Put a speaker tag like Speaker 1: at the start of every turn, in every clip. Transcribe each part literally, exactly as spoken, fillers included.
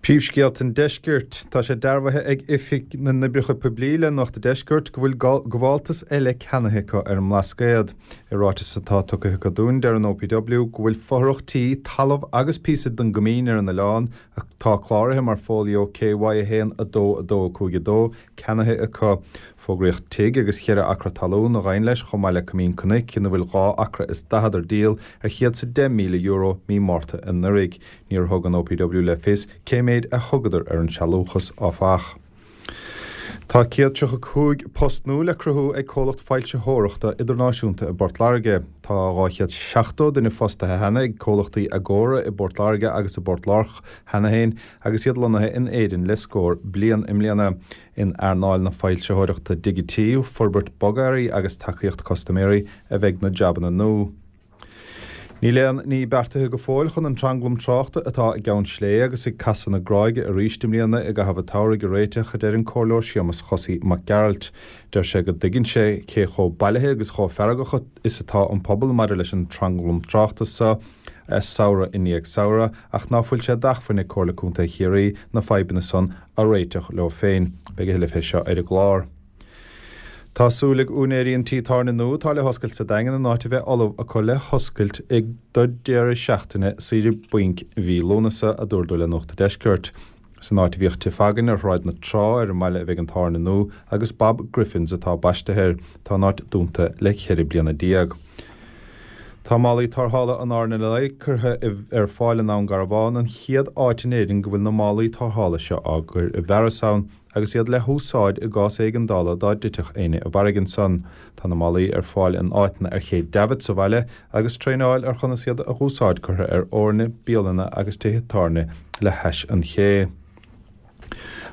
Speaker 1: Príomhscéalta an Deiscirt. Tá sé dearbhaithe ag Oifig na nOibreacha Poiblí le Nuacht an Deiscirt go bhfuil gabháltas eile ceannaithe acu ar an mBlascaod. I ráiteas atá tugtha acu dúinn, deir an O P W go bhfuil fothrach tí, talamh agus píosa den gcoimín ar an oileán, atá cláraithe mar folio K Y a haon a dó dó cúig dó, ceannaithe acu. Fógraíodh tigh agus ceithre acra talún a ghabhann leis, chomh maith le coimín cnoic ina bhfuil dhá acra is daichead ar díol ar chéad is deich míle euro mí Márta anuraidh. Níor thug an O P W le fios cé méid a thugadar ar an sealúchas, áfach. Tá céad tríocha cúig post nua le cruthú ag comhlacht foilsitheoireachta idirnáisiúnta i bPort Láirge. Tá dhá chéad seachtó duine fostaithe cheana ag comhlachtaí Agora i bPort Láirge agus i bPort Lárch cheana féin, agus iad lonnaithe in Éirinn le scór bliain. I mbliana, in earnáil na foilsitheoireachta digití, forbairt bogearraí agus tacaíocht custaiméirí a bheidh na jabanna nua. Níl aon ní beartaithe go fóill chun an tranglam tráchta atá i gCeann Slé agus ag Casadh na Gráige arís i mbliana i gcaitheamh an tsamhraidh a réiteach, a deir an Comhairleoir Séamus Chosaí Mac Gearailt. Deir sé go dtuigeann sé cé chomh bailithe agus chomh feargach is atá an pobal maidir leis an tranglam tráchta seo samhradh i ndiaidh samhradh, ach ná fuil sé d'acmhainn ag Comhairle Contae Chiarraí na fadhbanna san a réiteach leo féin. Beidh a thuilleadh fé seo ar an gclár. Tá súil ag úinéirí an tí tábhairne nua atá le hoscailt sa Daingean an áit a bheith ullamh acu le hoscailt ag do deireadh seachtaine saoire bainc mhí Lúnasa, a dúradh le Nuacht Deiscirt. San áit a bhíodh Tigh Fagan ar Shráid na Trá ar an mbaile a bheidh an tábhairne nua, agus Bob Griffins atá baiste air. Tá an áit dúnta le ceithre bliana déag. Tá málaí tarrthála an R N L I curtha ar fáil in Abhainn Garbhán, an chéad áit in Éirinn go bhfuil na málaí tarrthála seo á gcur i bhfearas ann, agus iad le húsáid i gcás éigeandála dá dtitfeadh éinne i bhfarraige ansan. Tá na málaí ar fáil in áiteanna ar Ché Davitt sa bhaile, agus traenáil ar chonas iad a úsáid curtha ar fhoirne bialanna agus tithe tábhairne le hais an ché.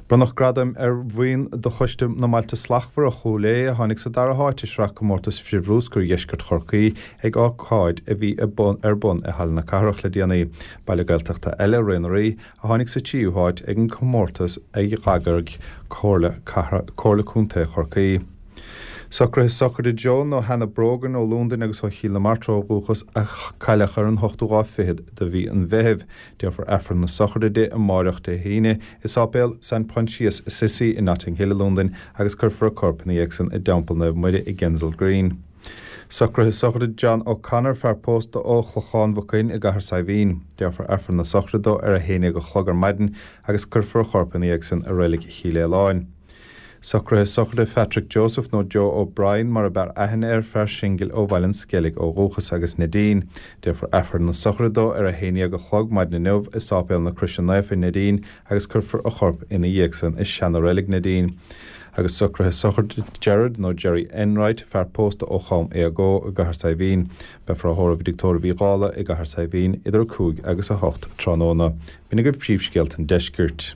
Speaker 1: Bronnadh gradaim ar bhuíon de Choiste na mBailte Slachtmhara Chúil Aodha a tháinig sa dara háit i sraith comórtas frithbhruscair Dheisceart Chorcaí ag ócáid a bhí ar bun i Halla na Cathrach le déanaí. Baile Gaeltachta eile, Ré na Rí, a tháinig sa tríú háit ag an comórtas a d'eagraigh Comhairle Comhairle Contae Chorcaí. Socruithe sochraide Joan nó Hannah Brogan ó Londain agus ó Chill na Martra ó dhúchas, a cailleadh ar an hochtú lá fichead de mhí an Mheithimh. Déarfar Aifreann na sochraide di amárach, Dé hAoine, i Sáipéal Saint Proinsias Assisi in Notting Hill i Londain, agus cuirfear a corp ina dhiaidh san i dTeampall Naomh Muire i Kensal Green. Socruithe sochraide John O'Connor, fear pósta ó Chlochán Mhucin i gCathair Saidhbhín. Déarfar Aifreann na sochraide dó ar a haon déag a chlog ar maidin agus cuirfear a chorp ina dhiaidh san i Reilig Chill Aoláin. Socruithe sochraide Patrick Joseph nó Joe O'Brien mar a b'fhearr aithne air, fear singil ó Bhaile an Sceilg ó dhúchas, agus Neidín. Déarfar Aifreann na sochraide dó ar a haon déag a chlog maidin inniu i Sáipéal na Croise Naofa Neidín agus cuirfear a chorp ina dhiaidh san i seana-reilig Neidín. Agus socruithe sochraide Gerard nó Jerry Enright, fear pósta ó Chom Éagó i gCathair Saidhbhín. Beifear á thórramh i dTigh Tórraimh Uí Dhála i gCathair Saidhbhín idir a cúig agus a hocht tráthnóna. B'in agaibh príomhscéalta an deiscirt.